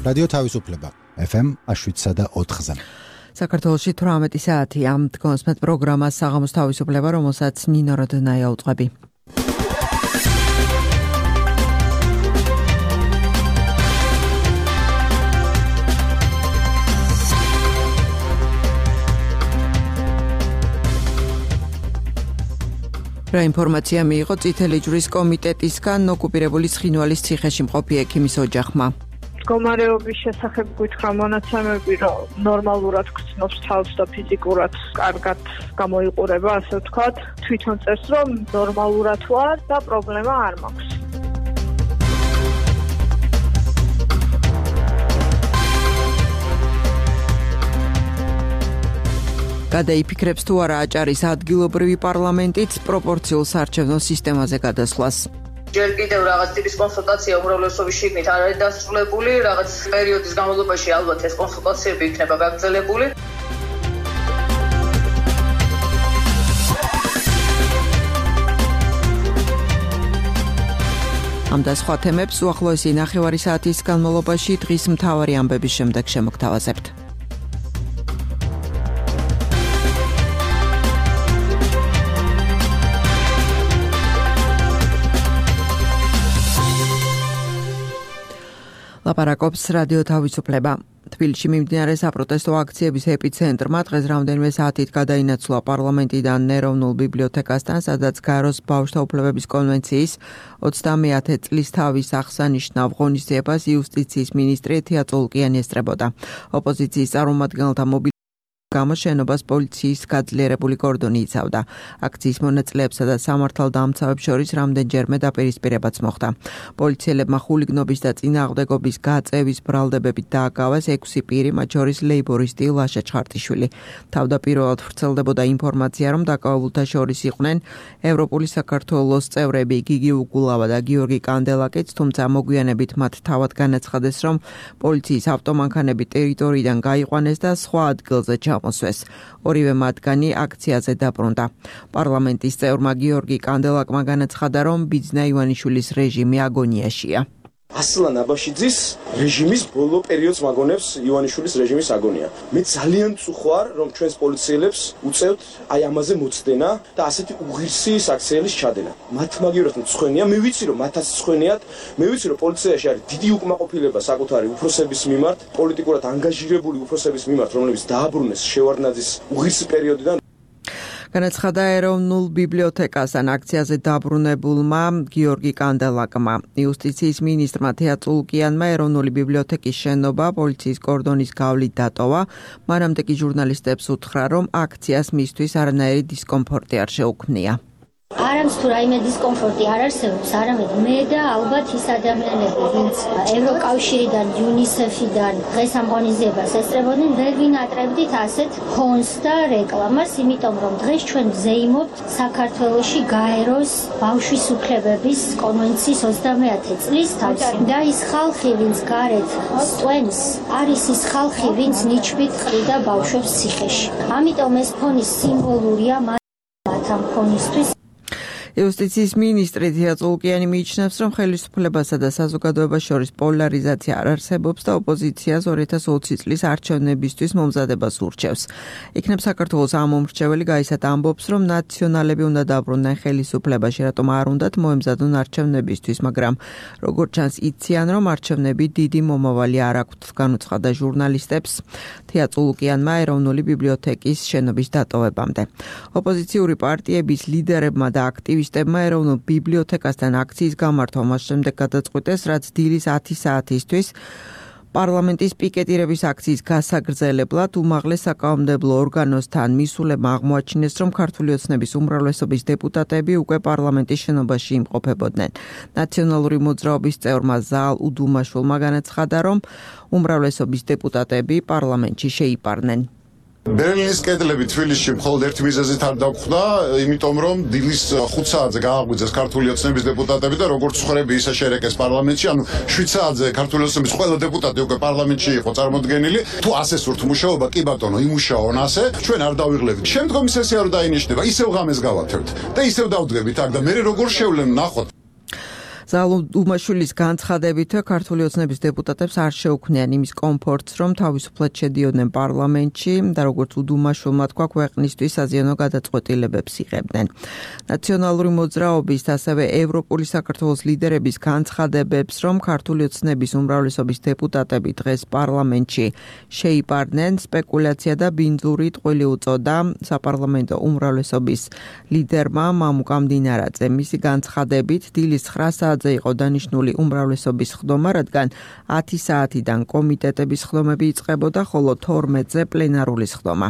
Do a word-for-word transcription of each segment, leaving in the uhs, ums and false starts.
რადიო თავისუფლება ეფ ემ შვიდსა და ოთხზე. საქართველოში თვრამეტი საათი ამ დგომს met პროგრამას საღამოს თავისუფლება, რომელსაც ნინო როდნაია უწყები. რა ინფორმაცია მიიღო წითელი ჯვრის კომიტეტისგან ოკუპირებული ცხინვალის ციხეში მყოფი ექიმის ოჯახმა? მდგომარეობის შესახებ გითხრა მონაცემები, რომ ნორმალურად გრძნობს თავს და ფიზიკურად კარგად გამოიყურება, ასე ვთქვათ. თვითონ წერს, რომ ნორმალურად ვარ და პრობლემა არ მაქვს. გადაიფიქრებს თუ არა აჭარის ადგილობრივი პარლამენტიც პროპორციულ საარჩევნო სისტემაზე გადასვლას. ჯერ კიდევ რაღაც ტიპის კონსულტაცია უმრავლესობის შიგნით არ არის დასრულებული, რაღაც პერიოდის განმავლობაში ალბათ ეს კონსულტაციები იქნება გაგრძელებული. ამ და სხვა თემებს უახლოესი ნახევარი საათის განმავლობაში დღის მთავარი ამბების შემდეგ შემოგთავაზებთ. ლაპარაკობს რადიო თავისუფლება. თბილისში მიმდინარე საპროტესტო აქციების ეპიცენტრმა დღეს რამდენიმე საათით გადაინაცვლა პარლამენტიდან ეროვნულ ბიბლიოთეკასთან, სადაც გაროს ბავშვთა უფლებების კონვენციის ოცდამეათე წლის თავის აღსანიშნავ ღონისძიებას იუსტიციის მინისტრი ეთია წოლკიანი ესწრებოდა. ოპოზიციის წარმომადგენელთა მობილიზაციის გამო შენობას პოლიციის გაძლიერებული კორდონი იცავდა. აქციის მონაწილეებსა და სამართალდამცავებს შორის რამდენჯერმე დაპირისპირებაც მოხდა. პოლიციელებმა ხულიგნობის და წინააღმდეგობის გაწევის ბრალდებებით დააკავეს ექვსი პირი, მათ შორის ლეიბორისტი ლაშა ჩხარტიშვილი. თავდაპირველად ვრცელდებოდა ინფორმაცია, რომ დაკავებულთა შორის იყვნენ ევროპული საქართველოს წევრები გიგი უგულავა და გიორგი კანდელაკიც, თუმცა მოგვიანებით მათ თავად განაცხადეს, რომ პოლიციის ავტომანქანები ტერიტორიიდან გაიყვანეს და სხვა ადგილზე მოსვეს. ორივე მათგანი აქციაზე დაბრუნდა. პარლამენტის წევრმა გიორგი კანდელაკმა განაცხადა, რომ ბიძნა ივანიშვილის რეჟიმი აგონიაშია. ასლან აბაშიძის რეჟიმის ბოლო პერიოდს მაგონებს ივანიშვილის რეჟიმის აგონია. მე ძალიან წუხვარ, რომ ჩვენს პოლიციელებს უწევთ აი ამაზე მოცდენა და ასეთი უღირსი საქციელის ჩადენა. მათ მაგივრად მწხვენია, მე ვიცი რომ მათაც მწხვენიათ, მე ვიცი რომ პოლიციაში არის დიდი უკმაყოფილება საკუთარი უფროსების მიმართ, პოლიტიკურად ანგაჟირებული უფროსების მიმართ, რომლებიც დააბრუნეს შევარდნაძის უღირსი პერიოდიდან. განაცხადა ეროვნულ ბიბლიოთეკასთან აქციაზე დაბრუნებულმა გიორგი კანდელაკმა. იუსტიციის მინისტრმა ეთია წოლკიანმა ეროვნული ბიბლიოთეკის შენობა პოლიციის კორდონის გავლით დატოვა. მანამდე კი ჟურნალისტებს უთხრა, რომ აქციას მისთვის არანაირი დისკომფორტი არ შეუქმნია. არამც თუ რაიმე დისკომფორტი არ არსებობს, არამედ მე და ალბათ ის ადამიანები, ვინც ევროკავშირიდან, იუნისეფიდან დღეს ამ ღონისძიებას ესწრებოდნენ, ვერ ვინატრებდით ასეთ ფონს და რეკლამას, იმიტომ რომ დღეს ჩვენ ვზეიმობთ საქართველოში გაეროს ბავშვის უფლებების კონვენციის ოცდამეათე წლის თავს. და ის ხალხი, ვინც გარეთ სტვენს, არის ის ხალხი, ვინც ნიჩბით ყრიდა ბავშვებს ციხეში. ამიტომ ეს ფონი სიმბოლურია მათ ამ ფონისთვის. იუსტიციის მინისტრი ეთია წოლკიანი მიიჩნევს, რომ ხელისუფლებასა და საზოგადოებას შორის პოლარიზაცია არ არსებობს და ოპოზიციას ორი ათას ოცი წლის არჩევნებისთვის მომზადებას ურჩევს. იქნებ საქართველოს ამომრჩეველი გაისად ამბობს, რომ ნაციონალები უნდა დაბრუნდნენ ხელისუფლებაში, რატომ არ უნდათ მოემზადონ არჩევნებისთვის, მაგრამ როგორც ჩანს იციან, რომ არჩევნები დიდი მომავალი არ აქვთ, განუცხადა ჟურნალისტებს ეთია წოლკიანმა ეროვნული ბიბლიოთეკის შენობის დატოვებამდე. ოპოზიციური პარტიების ლიდერებმა და აქტივისტებმა ეროვნულ ბიბლიოთეკასთან აქციის გამართვა მას შემდეგ გადაწყვიტეს, რაც დილის ათი საათისთვის პარლამენტის პიკეტირების აქციის გასაგრძელებლად უმაღლეს საკანონმდებლო ორგანოსთან მისულებმა აღმოაჩინეს, რომ ქართული ოცნების უმრავლესობის დეპუტატები უკვე პარლამენტის შენობაში იმყოფებოდნენ. ნაციონალური მოძრაობის წევრმა ზაალ უდუმაშვილმა განაცხადა, რომ უმრავლესობის დეპუტატები პარლამენტში შეიპარნენ. ბერლინის კედლები თბილისში მხოლოდ ერთ მიზეზით არ დაგვხვდა, იმიტომ რომ დილის ხუთ საათზე გააღვიძეს ქართული ოცნების დეპუტატები და როგორც ხრები ისე შერეკეს პარლამენტში, ანუ შვიდ საათზე ქართული ოცნების ყველა დეპუტატი უკვე პარლამენტში იყო წარმოდგენილი. თუ ასე სურთ მუშაობა, კი ბატონო, იმუშაონ ასე, ჩვენ არ დავიღლებით. შემდგომი სესია რო დაინიშნება, ისევ ღამეს გავათევთ და ისევ დავდგებით აქ და მე როგორ შევლენ ნახოთ. ზალუ დუმაშვილის განცხადებით ქართული ოცნების დეპუტატებს არ შეუქმნიან იმის კომფორტს, რომ თავისუფლად შედიოდნენ პარლამენტში და როგორც უდუმაშვილმა თქვა, ქვეყნისთვის საზიანო გადაწყვეტილებებს იღებდნენ. ნაციონალური მოძრაობის და ასევე ევროპული საქართველოს ლიდერების განცხადებებს, რომ ქართული ოცნების უმრავლესობის დეპუტატები დღეს პარლამენტში შეიპარდნენ, სპეკულაცია და ბინძური ტყვილი უწოდა საპარლამენტო უმრავლესობის ლიდერმა მამუკამ დინარაძე. მისი განცხადებით დილის ცხრა საათზე იყო დანიშნული უმრავლესობის ხდომა, რადგან ათი საათიდან კომიტეტების ხდომები იწყებოდა, ხოლო თორმეტზე პლენარული ხდომა.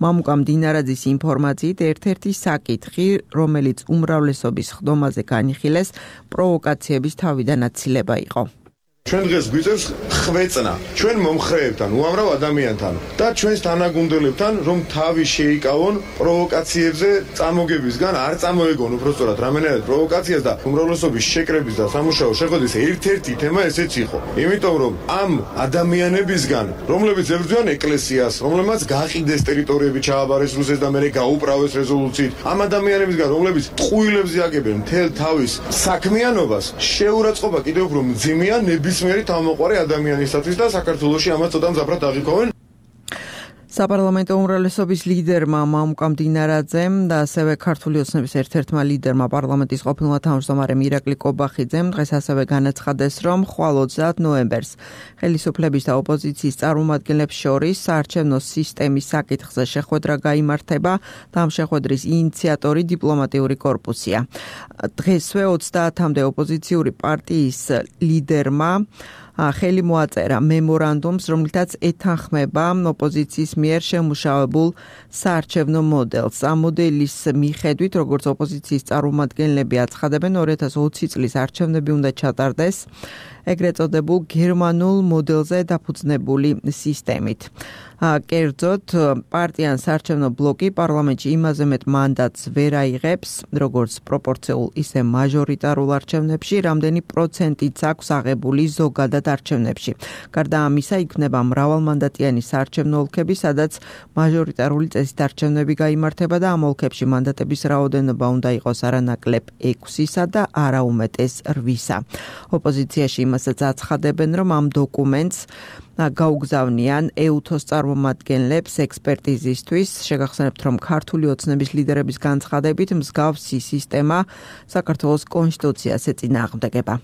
მამუკამ დინარაძის ინფორმაციით ერთ-ერთი საკითხი, რომელიც უმრავლესობის ხდომაზე განიხილეს, პროვოკაციების თავიდან აცილება იყო. ჩვენ დღეს გვიწევს ხვეწნა ჩვენ მომხრეებთან, უამრავ ადამიანთან და ჩვენს თანაგუნდელებთან, რომ თავი შეიკავონ პროვოკაციებზე წამოგებისგან, არ წამოეგონ უბრალოდ რამენერად პროვოკაციას და უმრავლესობის შეკრების და სამუშაო შეხვედრის ერთ-ერთი თემა ესეც იყო. იმიტომ რომ ამ ადამიანებისგან, რომლებიც ებრძვიან ეკლესიას, რომლებმაც გაყიდეს ტერიტორიები, ჩააბარეს რუსეთს და მერე გაუპრავეს რეზოლუციით, ამ ადამიანებისგან, რომლებიც ტყუილებს იაგებენ მთელ თავის საქმიანობას, შეურაცხყოფა კიდევ უფრო მძიმეა ნებისმიერი თავმოყარი ადამიანისათვის და საქართველოში ამას ცოტა მძაფრად აღიქვამენ. საპარლამენტო უმრავლესობის ლიდერმა მამუკამ დინარაძემ და ასევე ქართული ოცნების ერთ-ერთმა ლიდერმა პარლამენტის ყოფილმა თავმჯდომარემ ირაკლი კობახიძემ დღეს ასევე განაცხადეს, რომ ხვალ ოცდაათ ნოემბერს ხელისუფლების და ოპოზიციის წარმომადგენლებს შორის საარჩევნო სისტემის საკითხზე შეხვედრა გაიმართება და ამ შეხვედრის ინიციატორი დიპლომატიური კორპუსია. დღესვე ოცდაათამდე ოპოზიციური პარტიის ლიდერმა ხელი მოაწერა მემორანდუმს, რომლითაც ეთანხმება ოპოზიციის მიერ შემუშავებულ საარჩევნო მოდელს. ამ მოდელის მიხედვით, როგორც ოპოზიციის წარმომადგენლები აცხადებენ, ორი ათას ოცი წლის არჩევნები უნდა ჩატარდეს ეგრეთ წოდებულ გერმანულ მოდელზე დაფუძნებული სისტემით. კერძოდ, პარტიან საარჩევნო ბლოკი პარლამენტში იმაზე მეტ მანდატს ვერ აიღებს, როგორც პროპორციულ, ისე მაჟორიტარულ არჩევნებში, რამდენი პროცენტიც აქვს აღებული ზოგადად არჩევნებში. გარდა ამისა, იქნება მრავალმანდატიანი საარჩევნო ოლქები, სადაც მაჟორიტარული წესით არჩევნები გაიმართება და ამ ოლქებში მანდატების რაოდენობა უნდა იყოს არანაკლებ ექვსისა და არა უმეტეს რვისა. ოპოზიციაში იმასაც აცხადებენ, რომ ამ დოკუმენტს გაუგზავნიან ეუთოს წარმომადგენლებს ექსპერტიზისთვის. შეგახსენებთ, რომ ქართული ოცნების ლიდერების განცხადებით მსგავსი სისტემა საქართველოს კონსტიტუციას ეწინააღმდეგება.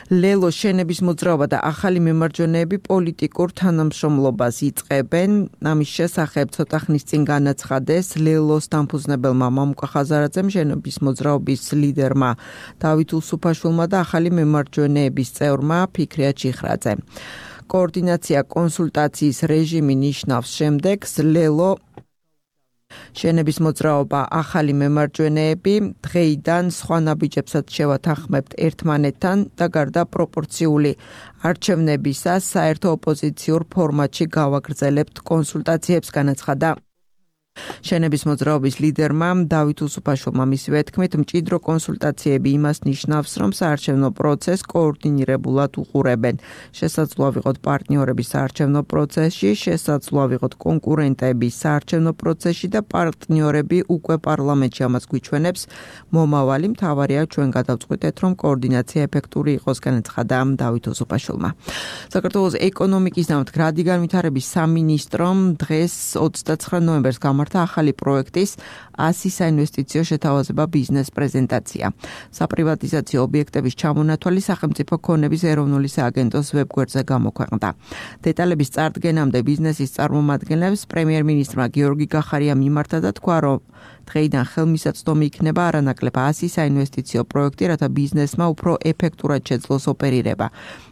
ლელოს შენების მოძრაობა და ახალი მემარჯვენეები პოლიტიკურ თანამშრომლობას იწყებენ. ამის შესახებ ცოტა ხნის წინ განაცხადეს ლელოს დამფუძნებელმა მამუკა ხაზარაძემ, შენების მოძრაობის ლიდერმა დავით უსუფაშვილმა და ახალი მემარჯვენეების წევრმა ფიქრია ჩიხრაძე. კოორდინაცია კონსულტაციის რეჟიმი ნიშნავს შემდეგს, ლელო შენების მოძრაობა ახალი მემარჯვენეები დღეიდან სხვა ნაბიჯებსაც შევათანხმებთ ერთმანეთთან და გარდა პროპორციული არჩევნებისა საერთო ოპოზიციურ ფორმატში გავაგრძელებთ კონსულტაციებს, განაცხადა შენების მოძრაობის ლიდერმა დავით უსუფაშვილმა. მისივე თქმით, მჭიდრო კონსულტაციები იმას ნიშნავს, რომ საარჩევნო პროცესს კოორდინირებულად უყურებენ. შესაძლოა ვიყოთ პარტნიორები საარჩევნო პროცესში, შესაძლოა ვიყოთ კონკურენტები საარჩევნო პროცესში და პარტნიორები უკვე პარლამენტში. ამას გვიჩვენებს მომავალი. მთავარია ჩვენ გადავწყვიტეთ, რომ კოორდინაცია ეფექტური იყოს, განაცხადა დავით უსუფაშვილმა. საქართველოს ეკონომიკის და მდგრადი განვითარების სამინისტრომ დღეს ოცდაცხრა ნოემბერს გამართა ახალი პროექტის ასი საინვესტიციო შეთავაზება ბიზნეს პრეზენტაცია. საპრივატიზაციო ობიექტების ჩამონათვალი სახელმწიფო ქონების ეროვნული სააგენტოს ვებგვერდზე გამოქვეყნდა. დეტალების წარდგენამდე ბიზნესის წარმომადგენლებს პრემიერ-მინისტრმა გიორგი გახარია მიმართა და თქვა, რომ დღეიდან ხელმისაწვდომი იქნება არანაკლებ ასი საინვესტიციო პროექტი, რათა ბიზნესმა უფრო ეფექტურად შეძლოს ოპერირება.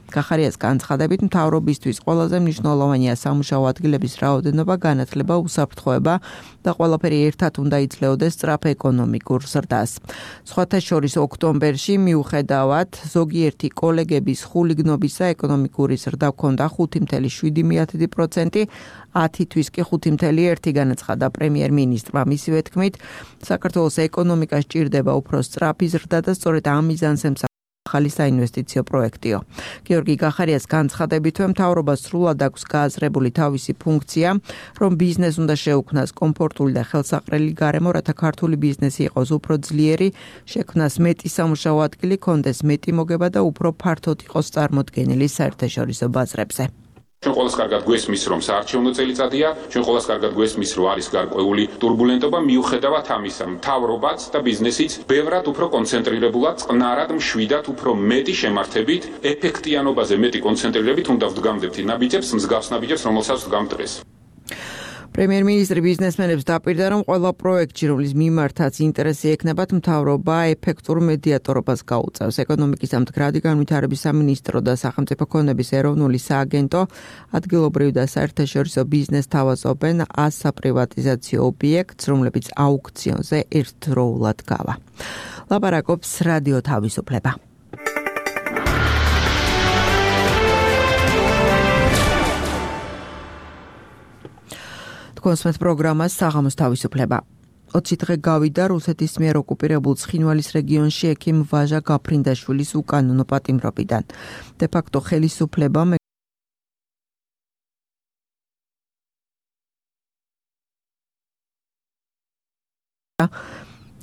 გახარიას განცხადებით, მთავრობისთვის ყველაზე მნიშვნელოვანია სამუშაო ადგილების რაოდენობა, განათლება, უსაფრთხოება და ყველაფერი ერთად უნდა იძლეოდეს სწრაფ ეკონომიკურ ზრდას. სხვათა შორის ოქტომბერში მიუხედავად ზოგიერთი კოლეგების ხულიგნობისა ეკონომიკური ზრდა ჰქონდა ხუთი წამლ შვიდი პროცენტი, ათი თვის კი ხუთი წამლ ერთი განაცხადა პრემიერ-მინისტრმა. მისივე თქმით, საქართველოს ეკონომიკას ჭირდება უფრო სწრაფი ზრდა და სწორედ ამ მიზანს ახალი საინვესტიციო პროექტიო. გიორგი გახარიას განცხადებითვე მთავრობა სრულად აქვს გააზრებული თავისი ფუნქცია, რომ ბიზნეს უნდა შეუქმნას კომფორტული და ხელსაყრელი გარემო, რათა ქართული ბიზნესი იყოს უფრო ძლიერი, შექმნას მეტი სამუშაო ადგილი, კონდეს მეტი მოგება და უფრო ფართოდ იყოს წარმოდგენილი საერთაშორისო ბაზრებზე. ჩვენ ყველას კარგად გვესმის, რომ საარჩევნო წელიწადია, ჩვენ ყველას კარგად გვესმის, რომ არის გარკვეული турბულენტობა, მიუხედავად ამისა, მთავრობაც და ბიზნესიც ბევრად უფრო კონცენტრირებულად, წყნარად, მშვიდად, უფრო მეტი შემართებით, ეფექტიანობაზე მეტი კონცენტრირებით უნდა ვდგამდებთ ნაბიჯებს, მსგავს ნაბიჯებს, რომელსაც ვდგამთ დღეს. პრემიერ-მინისტრი ბიზნესმენებს დაპირდა, რომ ყველა პროექტში, რომლის მიმართაც ინტერესი ექნებათ, მთავრობა ეფექტურ მედიატორობას გაუწევს. ეკონომიკის და მდგრადი განვითარების სამინისტრო და სახელმწიფო ქონების ეროვნული სააგენტო ადგილობრივ და საერთაშორისო ბიზნესს თავაზობენ ას საპრივატიზაციო ობიექტს, რომლებიც აუქციონზე ერთდროულად გავა. ლაპარაკობს რადიო თავისუფლება. კონსმეთ პროგრამას საღამოს თავისუფლება. ოცი დღე გავიდა რუსეთის მიერ ოკუპირებულ ცხინვალის რეგიონში ექიმ ვაჟა გაფრინდაშვილის უკანონო პატიმრობიდან. დე ფაქტო ხელისუფლება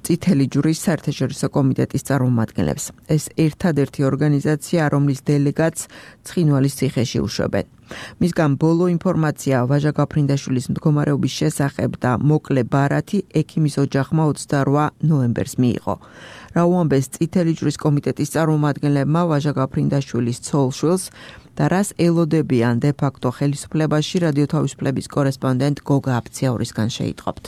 წითელი ჯვრის საერთაშორისო კომიტეტის წარმომადგენლებს. ეს ერთადერთი ორგანიზაცია, რომლის დელეგატს ცხინვალის ციხეში უშვებენ. მისგან ბოლო ინფორმაცია ვაჟა გაფრინდაშვილის მდგომარეობის შესახებ და მოკლე ბარათი ექიმის ოჯახმა ოცდარვა ნოემბერს მიიღო. რა უამბეს წითელი ჯვრის კომიტეტის წარმომადგენლებმა ვაჟა გაფრინდაშვილის ცოლ-შვილს და რას ელოდებიან დე ფაქტო ხელისუფლებაში, რადიო თავისუფლების კორესპონდენტ გოგა აფციაურისგან შეიტყობთ.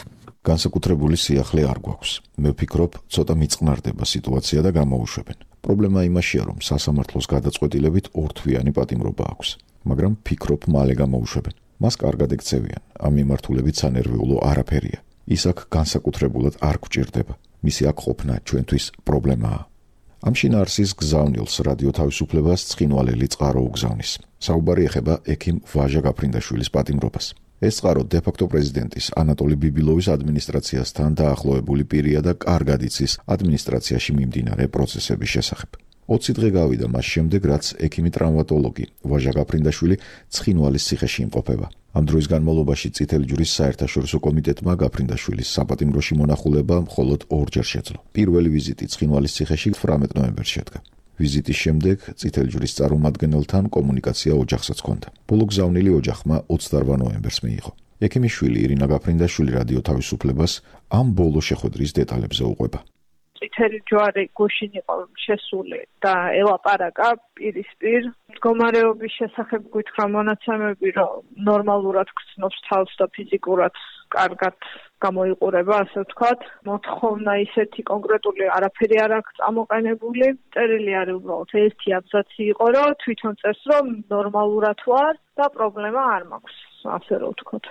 განსაკუთრებული სიახლე არ გვაქვს. მე ვფიქრობ, ცოტა მიწყნარდება სიტუაცია და გამოუშვებენ. პრობლემა იმაშია, რომ სასამართლოს გადაწყვეტილებით ორთვიანი პატიმრობა აქვს, მაგრამ ვფიქრობ, მალე გამოუშვებენ. მას კარგად ეკცევიან, ამ მიმართულებით სანერვიულო არაფერია. ის აქ განსაკუთრებულად არ გვჭირდება. მისი აქ ყოფნა ჩვენთვის პრობლემაა. ამ შინაარსის გზავნილს რადიო თავისუფლებას ცხინვალელი წყარო უგზავნის. საუბარი ეხება ექიმ ვაჟა გაფრინდაშვილის პატიმრობას. ეს წყარო დე ფაქტო პრეზიდენტის ანატოლი ბიბილოვის ადმინისტრაციასთან დაახლოებული პირია და კარგად იცის ადმინისტრაციაში მიმდინარე პროცესების შესახებ. ოცი დღე გავიდა მას შემდეგ, რაც ექიმი ტრავმატოლოგი ვაჟა გაფრინდაშვილი ცხინვალის ციხეში იმყოფება. ამ დროის განმავლობაში წითელი ჯვრის საერთაშორისო კომიტეტმა გაფრინდაშვილის საპატიმროში მონახულება მხოლოდ ორჯერ შეძლო. პირველი ვიზიტი ცხინვალის ციხეში თვრამეტ ნოემბერს შედგა. ვიზიტის შემდეგ წითელი ჯვრის წარმომადგენელთან კომუნიკაცია ოჯახსაც ჰქონდა. ბოლო გზავნილი ოჯახმა ოცდარვა ნოემბერს მიიღო. ექიმის შვილი ირინა გაფრინდაშვილი რადიო თავისუფლებას ამ ბოლო შეხვედრის დეტალებზე უყვება. წითელი ჯვარი გუშინ იყო შესული და ელაპარაკა პირისპირ მდგომარეობის შესახებ გითხრა მონაცემები, რომ ნორმალურად გრძნობს თავს და ფიზიკურად კარგად გამოიყურება, ასე ვთქვათ. მოთხოვნა ისეთი კონკრეტული არაფერი არ აქვს წამოყენებული. წერილი არის უბრალოდ ერთი აბზაცი იყო, რომ თვითონ წერს, რომ ნორმალურად ვარ და პრობლემა არ მაქვს, ასე რომ ვთქვათ.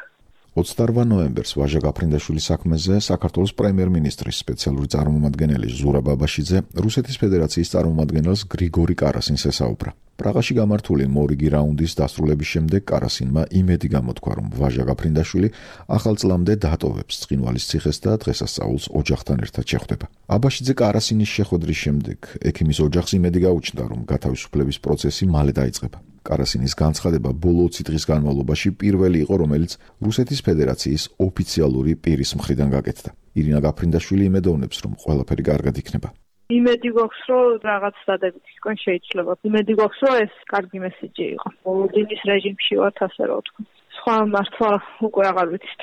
ოცდარვა ნოემბერს ვაჟა გაფრინდაშვილის საქმეზე საქართველოს პრემიერ-მინისტრის სპეციალური წარმომადგენელი ზურაბ ბაბაშიძე რუსეთის ფედერაციის წარმომადგენელს გრიგორი კარასინს ესაუბრა. პრაღაში გამართული მორიგი რაუნდის დასრულების შემდეგ კარასინმა იმედი გამოთქვა, რომ ვაჟა გაფრინდაშვილი ახალ წლამდე დატოვებს ცხინვალის ციხეს და დღესასწაულს ოჯახთან ერთად შეხვდება. აბაშიძე კარასინის შეხვედრის შემდეგ ექიმის ოჯახს იმედი გაუჩნდა, რომ გათავისუფლების პროცესი მალე დაიწყება. კარასინის განცხადება ბოლო ოცი დღის განმავლობაში პირველი იყო, რომელიც რუსეთის ფედერაციის ოფიციალური პირის მხრიდან გაკეთდა. ირინა გაფრინდაშვილი იმედოვნებს, რომ ყველაფერი კარგად იქნება. იმედი გვაქვს, რომ რაღაც დადებითისკენ შეიძლება. იმედი გვაქვს, რომ ეს კარგი მესიჯი იყო. მოლოდინის რეჟიმში ვართ, ასე რომ ვთქვა. სხვა მართლა უკვე აღარ ვიცით.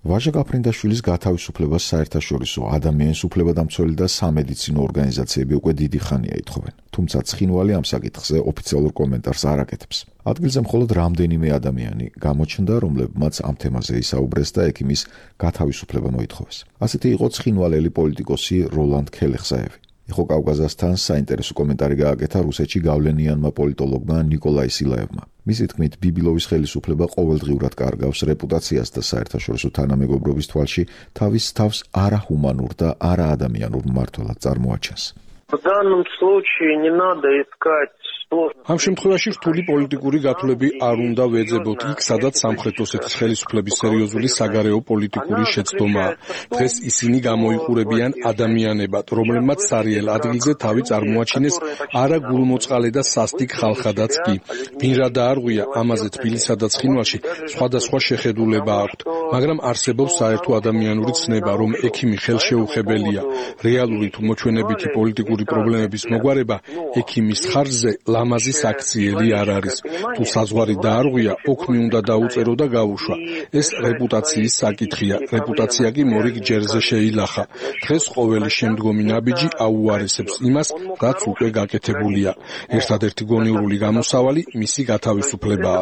ვაჟა გაფრინდაშვილის გათავისუფლებას საერთაშორისო ადამიანის უფლებადამცველი და სამედიცინო ორგანიზაციები უკვე დიდი ხანია ითხოვენ. თუმცა ცხინვალი ამ საკითხზე ოფიციალურ კომენტარს არ აკეთებს. ადგილზე მხოლოდ რამდენიმე ადამიანი გამოჩნდა, რომლებმაც ამ თემაზე ისაუბრეს და ექიმის გათავისუფლება მოითხოვეს. ასეთი იყო ცხინვალელი პოლიტიკოსი როლანდ ქელეხსაევი. ეხო კავკაზასთან საინტერესო კომენტარი გააკეთა რუსეთში გავლენიანმა პოლიტოლოგმა ნიკოლაი სილაევმა. მისი თქმით, ბიბილოვის ხელისუფლება ყოველდღიურად კარგავს რეპუტაციას და საერთაშორისო თანამეგობრობის თვალში თავის თავს არაჰუმანურ და არაადამიანურ მმართველად წარმოაჩენს. В данном случае не надо искать ამ შემთხვევაში რთული პოლიტიკური გათვლები არ უნდა ვეძებოთ იქ, სადაც სამხრეთ ოსეთის ხელისუფლების სერიოზული საგარეო პოლიტიკური შეცდომაა. დღეს ისინი გამოიყურებიან ადამიანებად, რომლებმაც სარიელ ადგილზე თავი წარმოაჩინეს არა გულმოწყალე და სასტიკ ხალხადაც კი. ვინ რა დაარღვია, ამაზე თბილისსა და ცხინვალში სხვადასხვა შეხედულება აქვთ, მაგრამ არსებობს საერთო ადამიანური ცნება, რომ ექიმი ხელშეუხებელია. რეალური თუ მოჩვენებითი პოლიტიკური პრობლემების მოგვარება ექიმის ხარჯზე ლამაზი საქციელი არ არის. თუ საზღვარი დაარღვია, ოქმი უნდა დაუწერო და გაუშვა. ეს რეპუტაციის საკითხია. რეპუტაცია კი მორიგ ჯერზე შეილახა. დღეს ყოველი შემდგომი ნაბიჯი აუარესებს იმას, რაც უკვე გაკეთებულია. ერთადერთი გონივრული გამოსავალი მისი გათავისუფლებაა.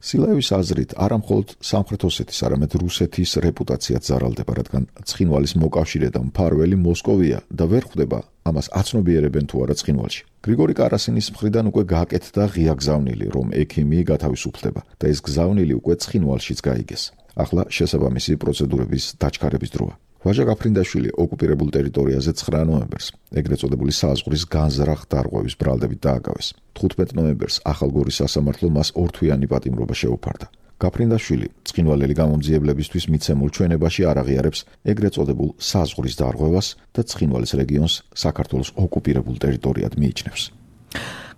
სილაევის აზრით, არა მხოლოდ სამხრეთ ოსეთის, არამედ რუსეთის რეპუტაციაც ზარალდება, რადგან ცხინვალის მოკავშირე და მფარველი მოსკოვია და ვერ ხვდება ამას აცნობიერებენ თუ არა ცხინვალში. გრიგორი კარასინის მხრიდან უკვე გააკეთდა ღია გზავნილი, რომ ექიმი გათავისუფლდება და ეს გზავნილი უკვე ცხინვალშიც გაიგეს. ახლა შესაბამისი პროცედურების დაჩქარების დროა. ვაჟა გაფრინდაშვილი ოკუპირებულ ტერიტორიაზე ცხრა ნოემბერს, ეგრეთ წოდებული საზღვრის განზრახ დარღვევის ბრალდებით დააგავეს. თხუთმეტ ნოემბერს ახალგორის სასამართლო მას ორთვიანი პატიმრობა შეუფარდა. გაფრინდაშვილი ცხინვალელი გამომძიებლებისთვის მიცემულ ჩვენებაში არ აღიარებს ეგრეთ წოდებულ საზღვრის დარღვევას და ცხინვალის რეგიონს საქართველოს ოკუპირებულ ტერიტორიად მიიჩნევს.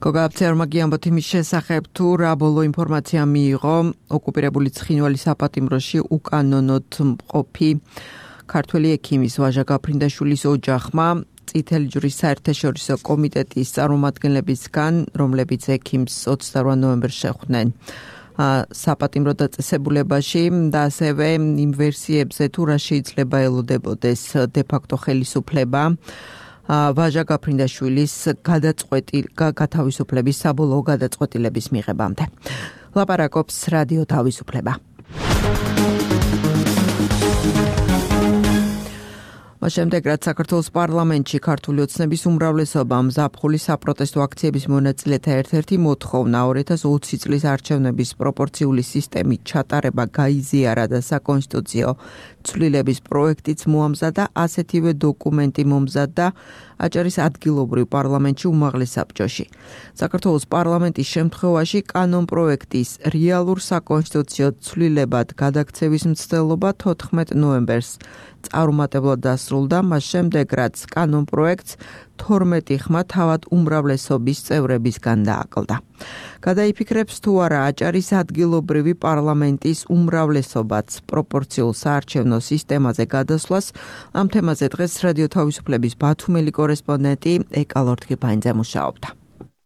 გოგა აფცერმა გიამბოთ იმის შესახებ, თუ რა ბოლო ინფორმაცია მიიღო ოკუპირებული ცხინვალის საპატიმროში უკანონოდ მყოფი ქართველი ექიმის ვაჟა გაფრინდაშვილის ოჯახმა წითელი ჯვრის საერთაშორისო კომიტეტის წარმომადგენლებისგან, რომლებიც ექიმს ოცდაორ ნოემბერს შეხვდნენ საპატიმრო დაწესებულებაში და ასევე იმ ვერსიებზე, თუ რა შეიძლება ელოდებოდეს დე-ფაქტო ხელისუფლება ვაჟა გაფრინდაშვილის გადაწყვეტილ გათავისუფლების საბოლოო გადაწყვეტილების მიღებამდე. ლაპარაკობს რადიო თავისუფლება. შემდეგ რაც საქართველოს პარლამენტში ქართული ოცნების უმრავლესობა მზაფხულის საპროტესტო აქციების მონაწილეთა ერთ-ერთი მოთხოვნა ორი ათას ოცი წლის არჩევნების პროპორციული სისტემით ჩატარება გაიზიარა და საკონსტიტუციო ცვლილების პროექტიც მოამზადა, ასეთივე დოკუმენტი მომზადდა აჭარის ადგილობრივ პარლამენტში უმაღლეს საბჭოში. საქართველოს პარლამენტის შემთხვევაში კანონპროექტის რეალურ საკონსტიტუციო ცვლილებად გადაქცევის მცდელობა თოთხმეტ ნოემბერს წარუმატებლად დასრულდა, მას შემდეგ რაც კანონპროექტს თორმეტი ხმა თავად უმრავლესობის წევრებისგან დააკლდა. გადაიფიქრებს თუ არა აჭარის ადგილობრივი პარლამენტის უმრავლესობაც პროპორციულ საარჩევნო სისტემაზე გადასვლას, ამ თემაზე დღეს რადიო თავისუფლების ბათუმელი კორესპონდენტი ეკა ლორთქიფაინძე მუშაობდა.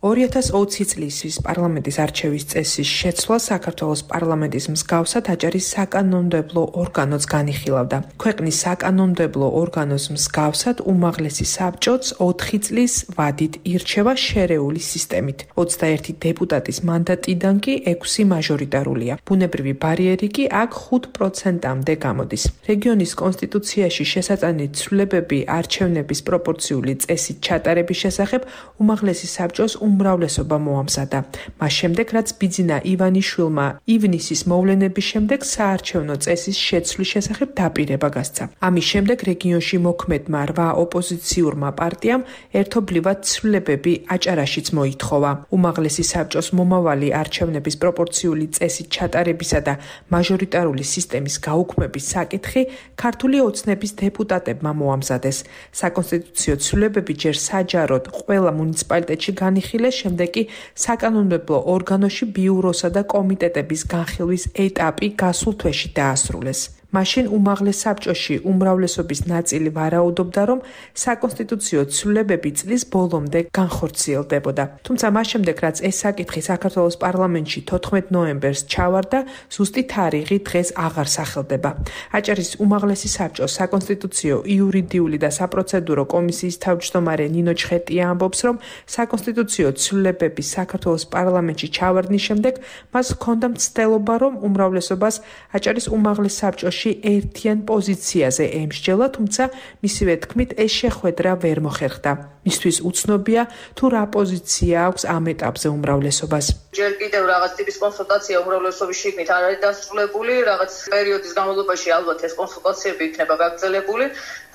ორი ათას ოცი წლის პარლამენტის არჩევის წესის შეცვლა საქართველოს პარლამენტის მსგავსად აჭარის საკანონმდებლო ორგანოც განიხილავდა. ქვეყნის საკანონმდებლო ორგანოს მსგავსად უმაღლესი საბჭოც ოთხი წლის ვადით ირჩევა შერეული სისტემით. ოცდაერთი დეპუტატის მანდატიდან კი ექვსი მაჟორიტარულია. ბუნებრივი ბარიერი კი აქ ხუთ პროცენტამდე გამოდის. რეგიონის კონსტიტუციაში შესატანილი ცვლილებები არჩევნების პროპორციული წესით ჩატარების შესახებ უმაღლესი საბჭოს უმრავლესობა მოამზადა. მას შემდეგ, რაც ბიძინა ივანიშვილმა ივნისის მოვლენების შემდეგ საარჩევნო წესის შეცვლის შესახებ დაპირება გასცა. ამის შემდეგ რეგიონში მოქმედმა რვა ოპოზიციურმა პარტიამ ერთობლივად ცვლილებები აჭარაშიც მოითხოვა. უმაღლესი საბჭოს მომავალი არჩევნების პროპორციული წესით ჩატარებისა და მაჟორიტარული სისტემის გაუქმების საკითხი ქართული ოცნების დეპუტატებმა მოამზადეს. საკონსტიტუციო ცვლილებები ჯერ საჯაროდ ყველა მუნიციპალიტეტში განიხილეს, შემდეგ კი საკანონმდებლო ორგანოში ბიუროსა და კომიტეტების განხილვის ეტაპი გასულ თვეში დაასრულეს. მაშინ უმაღლეს საბჭოში უმრავლესობის ნაწილი ვარაუდობდა, რომ საკონსტიტუციო ცვლილებები წლის ბოლომდე განხორციელდებოდა. თუმცა მას შემდეგ, რაც ეს საკითხი საქართველოს პარლამენტში თოთხმეტ ნოემბერს ჩავარდა, ზუსტი თარიღი დღეს აღარ სახელდება. აჭარის უმაღლესი საბჭოს საკონსტიტუციო, იურიდიული და საპროცედურო კომისიის თავმჯდომარე ნინო ჩხეტია ამბობს, რომ საკონსტიტუციო ცვლილებების საქართველოს პარლამენტში ჩავარდნის შემდეგ მას ჰქონდა მცდელობა, რომ უმრავლესობას აჭარის უმაღლეს საბჭოში ერთიან პოზიციაზე ემსჯელა, თუმცა მისივე თქმით ეს შეხვედრა ვერ მოხერხდა. მისთვის უცნობია თუ რა პოზიცია აქვს ამ ეტაპზე უმრავლესობას. ჯერ კიდევ რაღაც ტიპის კონსულტაცია უმრავლესობის შიგნით არ არის დასრულებული, რაღაც პერიოდის განმავლობაში ალბათ ეს კონსულტაციები იქნება გაგრძელებული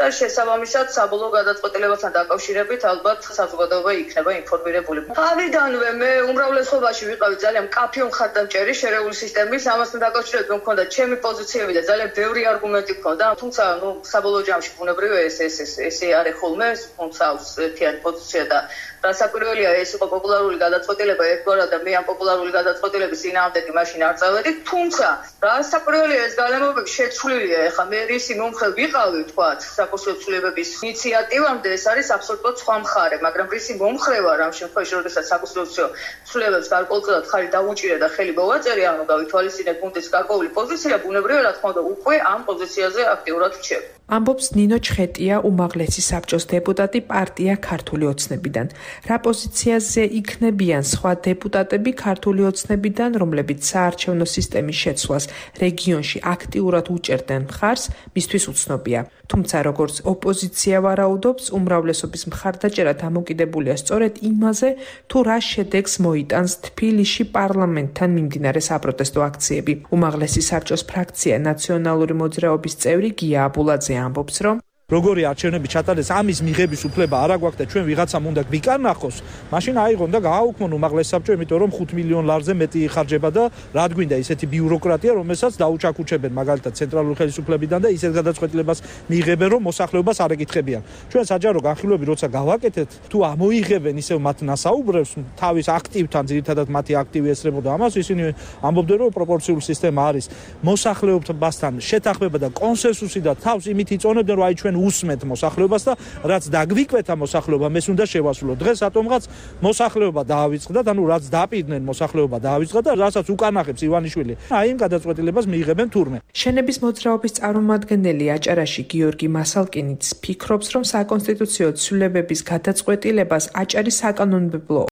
და შესაბამისად საბოლოო გადაწყვეტილებასთან დაკავშირებით ალბათ საზოგადოება იქნება ინფორმირებული. თავიდანვე მე უმრავლესობაში ვიყავი ძალიან მკაფიო მხარდამჭერი შერეული სისტემის, ამასთან დაკავშირებით მე მქონდა ჩემი პოზიციები და ძალიან ბევრი არგუმენტი მქონდა, თუმცა ნუ საბოლოო ჯამში ბუნებრივია ეს ეს ეს ესე არის ხოლმე, თუმცა ერთიანი პოზიცია და რასაკვირველია ეს იყო პოპულარული გადაწყვეტილება ერთგვარად და მე ამ პოპულარული გადაწყვეტილების წინააღმდეგ მაშინ არ წავედი, თუმცა რასაკვირველია ეს გალემობები შეცვლილია, ეხლა მე რისი მომხრე ვიყავი თქვათ საკონსულტაციო ცვლილებების ინიციატივამდე ეს არის აბსოლუტურად სხვა მხარე, მაგრამ რისი მომხრე ვარ ამ შემთხვევაში, როდესაც საკონსულტაციო ცვლილებებს გარკვეულწილად ხარი დაუჭირე და ხელი მოვაწერე, ანუ გავითვალისწინე გუნდის გარკვეული პოზიცია, ბუნებრივია რა თქმა უნდა უკვე ამ პოზიციაზე აქტიურად რჩევ. ამბობს ნინო ჩხეტია, უმაღლესი საბჭოს დეპუტატი პარტია ქართული ოცნებიდან. რა პოზიციაზე იქნებიან სხვა დეპუტატები ქართული ოცნებიდან, რომლებიც საარჩევნო სისტემის შეცვლას რეგიონში აქტიურად უჭერდნენ მხარს, მისთვის უცნობია. თუმცა როგორც ოპოზიცია ვარაუდობს, უმრავლესობის მხარდაჭერა დამოკიდებულია სწორედ იმაზე, თუ რა შედეგს მოიტანს თბილისში პარლამენტთან მიმდინარე საპროტესტო აქციები. უმაღლესი საბჭოს ფრაქცია ნაციონალური მოძრაობის წევრი გია აბულაძე ამბობს, რომ როგორი არჩევნები ჩატარდეს, ამის მიღების უფლება არ აგვაქვს და ჩვენ ვიღაცამ უნდა გვიკარნახოს, მაშინ აიღონ და გააუქმონ უმაღლეს საბჭო, იმიტომ რომ ხუთ მილიონ ლარზე მეტი იხარჯება და რა გვინდა ისეთი ბიუროკრატია, რომელსაც დაუჩაქუჩებენ მაგალითად ცენტრალური ხელისუფლებიდან და ისეთ გადაწყვეტილებას მიიღებენ, რომ მოსახლეობას არ ეკითხებიან. ჩვენ საჯარო განხილვები როცა გავაკეთეთ, თუ ამოიღებენ ისევ მათ ნასაუბრებს, თავის აქტივთან, ძირითადად მათი აქტივი ესწრებოდა ამას, ისინი ამბობდნენ, რომ პროპორციული სისტემა არის მოსახლეობასთან შეთანხმება და კონსენსუსი და თავს იმით იწონებდნენ, რომ აი ჩვენ უსმენთ მოსახლეობას და რაც დაგვიკვეთა მოსახლეობა, მეს უნდა შევასრულოთ. დღეს რატომღაც მოსახლეობა დაავიწყდათ, ანუ რაც დაპირდნენ მოსახლეობა დაავიწყდა და რასაც უკანახებს ივანიშვილი, აი იმ გადაწყვეტილებას მიიღებენ თურმე. შენების მოძრაობის წარმომადგენელი აჭარაში გიორგი მასალკინიც ფიქრობს, რომ საკონსტიტუციო ცვლილებების გადაწყვეტილებას აჭარის საკანონმდებლო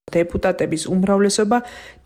დეპუტატების უმრავლესობა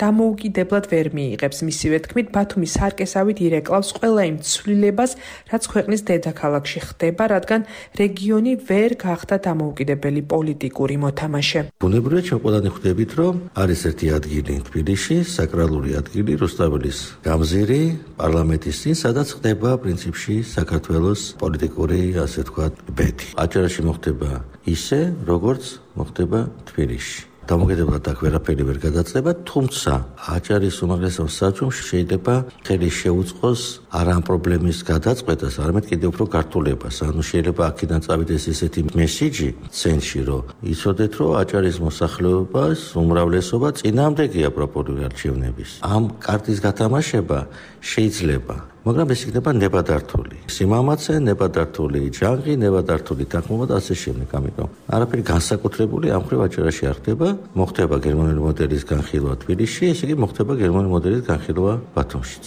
დამოუკიდებლად ვერ მიიღებს. მისივე თქმით, ბათუმის სარკესავით ირეკლავს ყველა იმ ცვლილებას, რაც ქვეყნის დედაქალაქში ხდება, რადგან რეგიონი ვერ გახდა დამოუკიდებელი პოლიტიკური მოთამაშე. ბუნებრივია, ჩვენ ყველანი ხვდებით, რომ არის ერთი ადგილი თბილისში, საკრალური ადგილი, რუსთაველის გამზირი, პარლამენტის წინ, სადაც ხდება პრინციპში საქართველოს პოლიტიკური, ასე ვთქვათ, ბედი. აჭარაში მოხდება ისე, როგორც მოხდება თბილისში. დამოკიდებლად აქ ვერაფერი ვერ გადაწყდება, თუმცა აჭარის უმაღლესო საბჭომ შეიძლება ხელი შეუწყოს არა ამ პრობლემის გადაწყვეტას, არამედ კიდევ უფრო გართულებას. ანუ შეიძლება აქედან წავიდეს ესეთი მესიჯი ცენტრში, რომ იცოდეთ, რომ აჭარის მოსახლეობას უმრავლესობა წინააღმდეგია პროპორციული არჩევნების. ამ კარტის გათამაშება შეიძლება, მაგრამ ეს იქნება ნებადართული. სიმამაცე, ნებადართული ჯანგი, ნებადართული თანხმობა და ასე შემდეგ. ამიტომ არაფერი განსაკუთრებული ამ ხრივ აჭარაში არ ხდება. მოხდება გერმანული მოდელის განხილვა თბილისში, ესე იგი მოხდება გერმანული მოდელის განხილვა ბათუმშიც.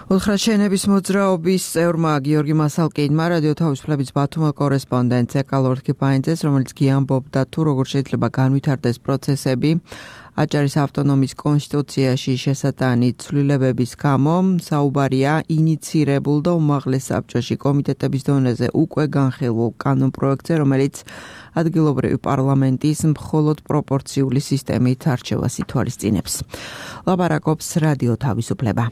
უთხრაშენების მოძრაობის წევრმა გიორგი მასალკინმა რადიო თავისუფლების ბათუმის კორესპონდენტ ეკალორთკი პაინძეს, რომელიც გიამბობდა თუ როგორ შეიძლება განვითარდეს პროცესები აჭარის ავტონომიის კონსტიტუციაში შესატანი ცვლილებების გამო, საუბარია ინიცირებულ და უმაღლეს საბჭოში კომიტეტების დონეზე უკვე განხილულ კანონპროექტზე, რომელიც ადგილობრივი პარლამენტის მხოლოდ პროპორციული სისტემით არჩევას ითვალისწინებს. ლაპარაკობს რადიო თავისუფლება.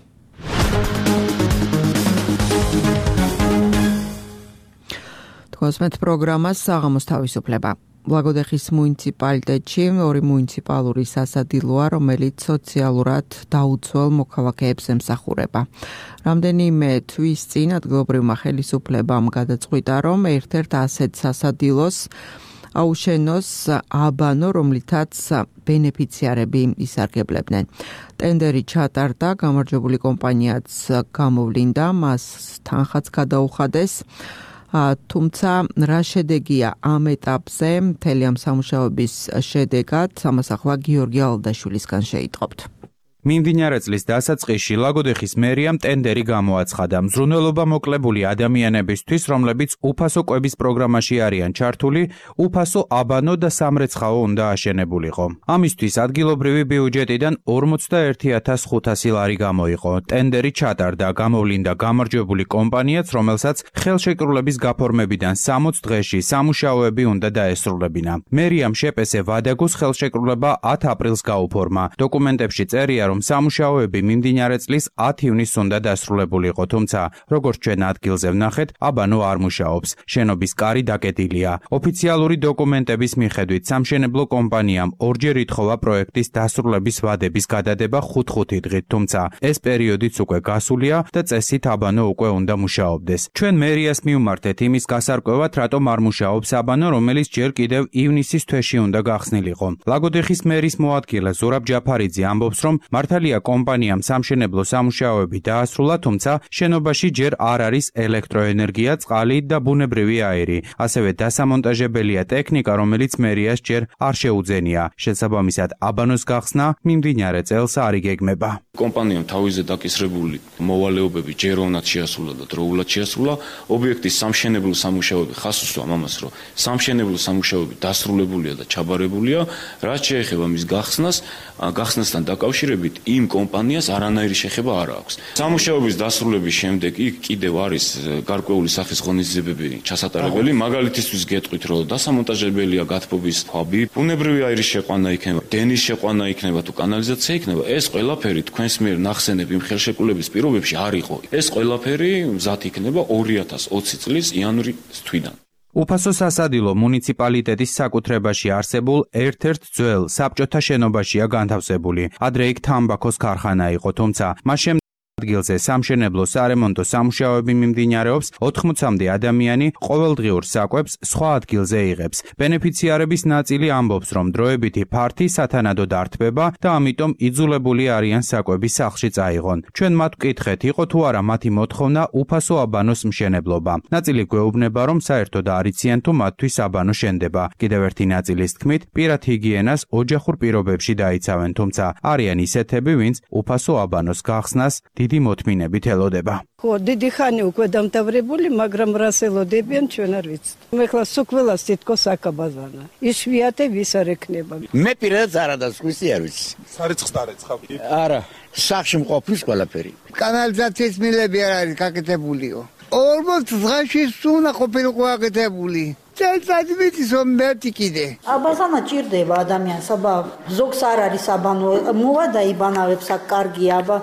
თქვენს პროგრამას საღამოს თავისუფლება. ბლაგოდეხის მუნიციპალიტეტში ორი მუნიციპალური სასადილოა, რომელიც სოციალურად დაუცველ მოქალაქეებს ემსახურება. რამდენიმე თვის წინ ადგილობრივმა ხელისუფლებამ გადაწყვიტა, რომ ერთ-ერთ ასეთ სასადილოს აუშენოს აბანო, რომლითაც ბენეფიციარები ისარგებლებდნენ. ტენდერი ჩატარდა, გამარჯვებული კომპანიაც გამოვლინდა, მას თანხაც გადაუხადეს. თუმცა რა შედეგია ამ ეტაპზე, მთელი ამ სამუშაოების შედეგად, ამას ახლა გიორგი ალდაშვილისგან შეიტყობთ. მიმდინარე წლის დასაწყისში ლაგოდეხის მერიამ ტენდერი გამოაცხადა. მზრუნველობა მოკლებული ადამიანებისთვის, რომლებიც უფასო კვების პროგრამაში არიან ჩართული, უფასო აბანო და სამრეცხაო უნდა აშენებულიყო. ამისთვის ადგილობრივი ბიუჯეტიდან ორმოცდაერთი ათას ხუთასი ლარი გამოიყო. ტენდერი ჩატარდა, გამოვლინდა გამარჯვებული კომპანიაც, რომელსაც ხელშეკრულების გაფორმებიდან სამოც დღეში სამუშაოები უნდა დაესრულებინა. მერიამ შეპესე ვადაგოს ხელშეკრულება ათ აპრილს გაუფორმა. დოკუმენტებში წერია, რომ სამუშაოები მიმდინარე წლის ათ ივნისს უნდა დასრულებულიყო, თუმცა როგორც ჩვენ ადგილზე ვნახეთ, აბანო არ მუშაობს. შენობის კარი დაკეტილია. ოფიციალური დოკუმენტების მიხედვით სამშენებლო კომპანიამ ორჯერ ითხოვა პროექტის დასრულების ვადების გადადება ხუთ-ხუთი დღით, თუმცა ეს პერიოდიც უკვე გასულია და წესით აბანო უკვე უნდა მუშაობდეს. ჩვენ მერიას მივმართეთ იმის გასარკვევად, რატომ არ მუშაობს აბანო, რომელიც ჯერ კიდევ ივნისის თვეში უნდა გახსნილიყო. ლაგოდეხის მერის მოადგილე ზურაბ ჯაფარიძე ამბობს, რომ მართალია კომპანიამ სამშენებლო სამუშაოები დაასრულა, თუმცა შენობაში ჯერ არ არის ელექტროენერგია, წყალი და ბუნებრივი აირი. ასევე დასამონტაჟებელია ტექნიკა, რომელიც მერიას ჯერ არ შეუძენია. შესაბამისად, აბანოს გახსნა მიმდინარე წელს არ იგეგმება. კომპანიამ თავიზე დაკისრებული მოვალეობები ჯეროვნად შეასრულა და დროულად შეასრულა. ობიექტის სამშენებლო სამუშაოები ხას უსვამ ამას, რომ სამშენებლო სამუშაოები დასრულებულია და ჩაბარებულია, რაც შეეხება მის გახსნას, გახსნასთან დაკავშირებით იმ კომპანიას არანაირი შეხება არ აქვს. სამუშაოების დასრულების შემდეგ იქ კიდევ არის გარკვეული სახის ღონისძიებები ჩასატარებელი, მაგალითისთვის გეტყვით, რომ დასამონტაჟებელია გათბობის ქვაბი, ბუნებრივი აირის შეყვანა იქნება, დენის შეყვანა იქნება თუ კანალიზაცია იქნება, ეს ყველაფერი თქვენს მიერ ნახსენებ იმ ხელშეკრულების პირობებში არ იყო. ეს ყველაფერი მზად იქნება ორი ათას ოცი წლის იანვრის თვიდან. უფასო სასადილო მუნიციპალიტეტის საკუთრებაში არსებულ ერთ-ერთ ძველ საბჭოთა შენობაშია განთავსებული. ადრე იქ თამბაქოს ქარხანა იყო, თუმცა მას ადგილზე სამშენებლო სარემონტო სამუშაოები მიმდინარეობს, ოთხმოცამდე ადამიანი ყოველდღიურ საკვებს სხვა ადგილზე იღებს. ბენეფიციარების ნაწილი ამბობს, რომ დროებითი ფართი სათანადოდ ართმება და ამიტომ იძულებული არიან საკვები სახლში წაიღონ. ჩვენ მათ ვკითხეთ, იყო თუ არა მათი მოთხოვნა უფასო აბანოს მშენებლობა. ნაწილი გვეუბნება, რომ საერთოდ არ იციან თუ მათთვის აბანო შენდება. კიდევ ერთი ნაწილის თქმით, პირად ჰიგიენას ოჯახურ პირობებში დაიცავენ, თუმცა არიან ისეთები, ვინც უფასო აბანოს გახსნას დიდი მოთმინებით ელოდება. ხო, დიდი ხანი უკვე დამთავრებული, მაგრამ რას ელოდებიან ჩვენ არ ვიცით. მე ხლა სულ თითქოს აკაბაზანა. იშვიათე ვის არ ექნება. მე პირადად არა და სხვისი არ ვიცი. სარეცხს დარეცხავ. არა, სახში მყოფის ყველაფერი. კანალიზაციის მილები არ არის გაკეთებულიო. ორმოც დღეში სუნა ყოფილიყო გაკეთებული. წელიწად ვიცის რომ მერტი კიდე. აბაზანა ჭირდება ადამიანს, აბა ზოგს არ არის აბანო, მოვა და იბანავებს აქ კარგია, აბა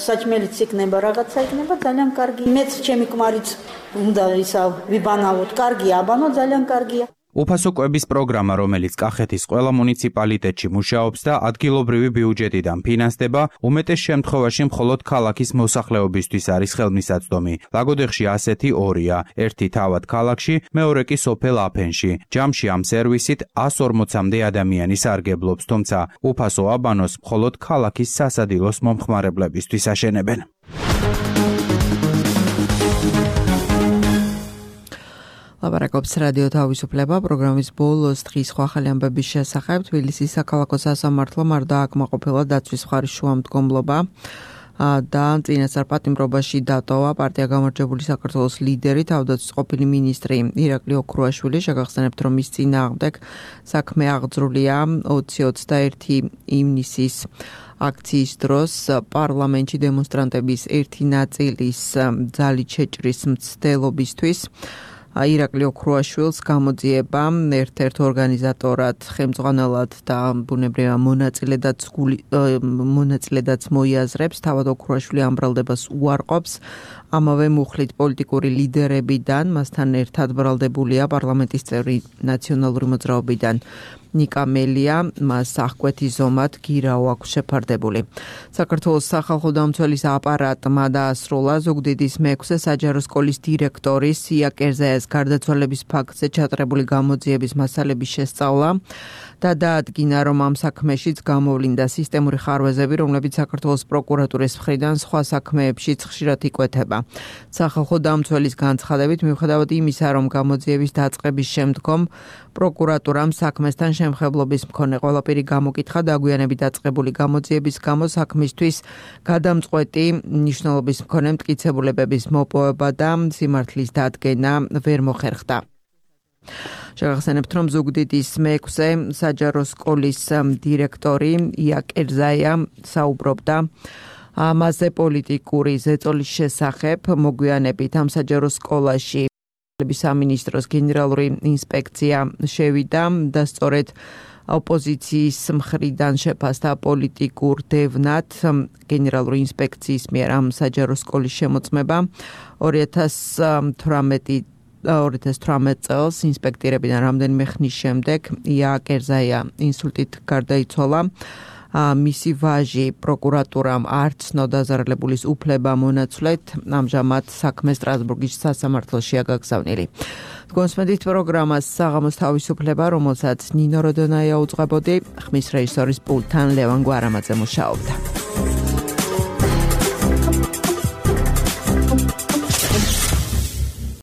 საჭმელიც იქნება, რაღაცა იქნება, ძალიან კარგი. მეც ჩემი ქმარიც უნდა ისა ვიბანავოთ, კარგია აბანო, ძალიან კარგია. უფასო კვების პროგრამა, რომელიც კახეთის ყველა მუნიციპალიტეტში მუშაობს და ადგილობრივი ბიუჯეტიდან ფინანსდება, უმეტეს შემთხვევაში მხოლოდ ქალაქის მოსახლეობისთვის არის ხელმისაწვდომი. ლაგოდეხში ასეთი ორია, ერთი თავად ქალაქში, მეორე კი სოფელ აფენში. ჯამში ამ სერვისით ას ორმოცამდე ადამიანი სარგებლობს, თუმცა უფასო აბანოს მხოლოდ ქალაქის სასადილოს მომხმარებლებისთვის აშენებენ. ლაპარაკობს რადიო თავისუფლება პროგრამის ბოლოს დღის სხვა ახალი ამბების შესახებ. თბილისის საქალაქო სასამართლომ არ დააკმაყოფილა დაცვის მხარის შუამდგომლობა და წინასწარ პატიმრობაში დატოვა პარტია გამარჯვებული საქართველოს ლიდერი, თავდაცვის ყოფილი მინისტრი ირაკლი ოქრუაშვილი. შეგახსენებთ, რომ მის წინააღმდეგ საქმე აღძრულია ოცი ოცდაერთი ივნისის აქციის დროს პარლამენტში დემონსტრანტების ერთი ნაწილის ძალით შეჭრის მცდელობისთვის ირაკლი ოქრუაშვილს გამოძიება ერთ-ერთ ორგანიზატორად, ხელმძღვანელად და ბუნებრივია მონაწილედაც მონაწილედაც მოიაზრებს. თავად ოქრუაშვილი ამ ბრალდებას უარყოფს. ამავე მუხლით პოლიტიკური ლიდერებიდან მასთან ერთად ბრალდებულია პარლამენტის წევრი ნაციონალური მოძრაობიდან ნიკა მელია, მას აღკვეთი ზომად გირაო აქვს შეფარდებული. საქართველოს სახალხო დამცველის აპარატმა დაასრულა ზუგდიდის მეექვსე საჯარო სკოლის დირექტორის სია კერზაიას გარდაცვალების ფაქტზე ჩატარებული გამოძიების მასალების შესწავლა. და დაადგინა, რომ ამ საქმეშიც გამოვლინდა სისტემური ხარვეზები, რომლებიც საქართველოს პროკურატურის მხრიდან სხვა საქმეებშიც ხშირად იკვეთება. სახალხო დამცველის განცხადებით, მიუხედავად იმისა, რომ გამოძიების დაწყების შემდგომ პროკურატურამ საქმესთან შემხებლობის მქონე ყველაფერი გამოკითხა, დაგვიანებით დაწყებული გამოძიების გამო საქმისთვის გადამწყვეტი მნიშვნელობის მქონე მტკიცებულებების მოპოვება და სიმართლის დადგენა ვერ მოხერხდა. შევახსენებთ, რომ ზუგდიდის მეექვსე საჯარო სკოლის დირექტორი ია კერძაია საუბრობდა ამაზე პოლიტიკური ზეწოლის შესახებ. მოგვიანებით ამ საჯარო სკოლაში სამინისტროს გენერალური ინსპექცია შევიდა და სწორედ ოპოზიციის მხრიდან შეფასდა პოლიტიკურ დევნად გენერალური ინსპექციის მიერ ამ საჯარო სკოლის შემოწმება. ორი ათას თვრამეტ წელს ინსპექტირებიდან რამდენიმე ხნის შემდეგ ია კერძაია ინსულტით გარდაიცვალა. მისი ვაჟი პროკურატურამ არ ცნო დაზარალებულის უფლება მონაცვლეთ. ამჟამად საქმე სტრასბურგის სასამართლოშია გაგზავნილი. გონსმენდით პროგრამას საღამოს თავისუფლება, რომელსაც ნინო როდონაია უძღვებოდი, ხმის რეჟისორის პულტთან ლევან გვარამაძე მუშაობდა.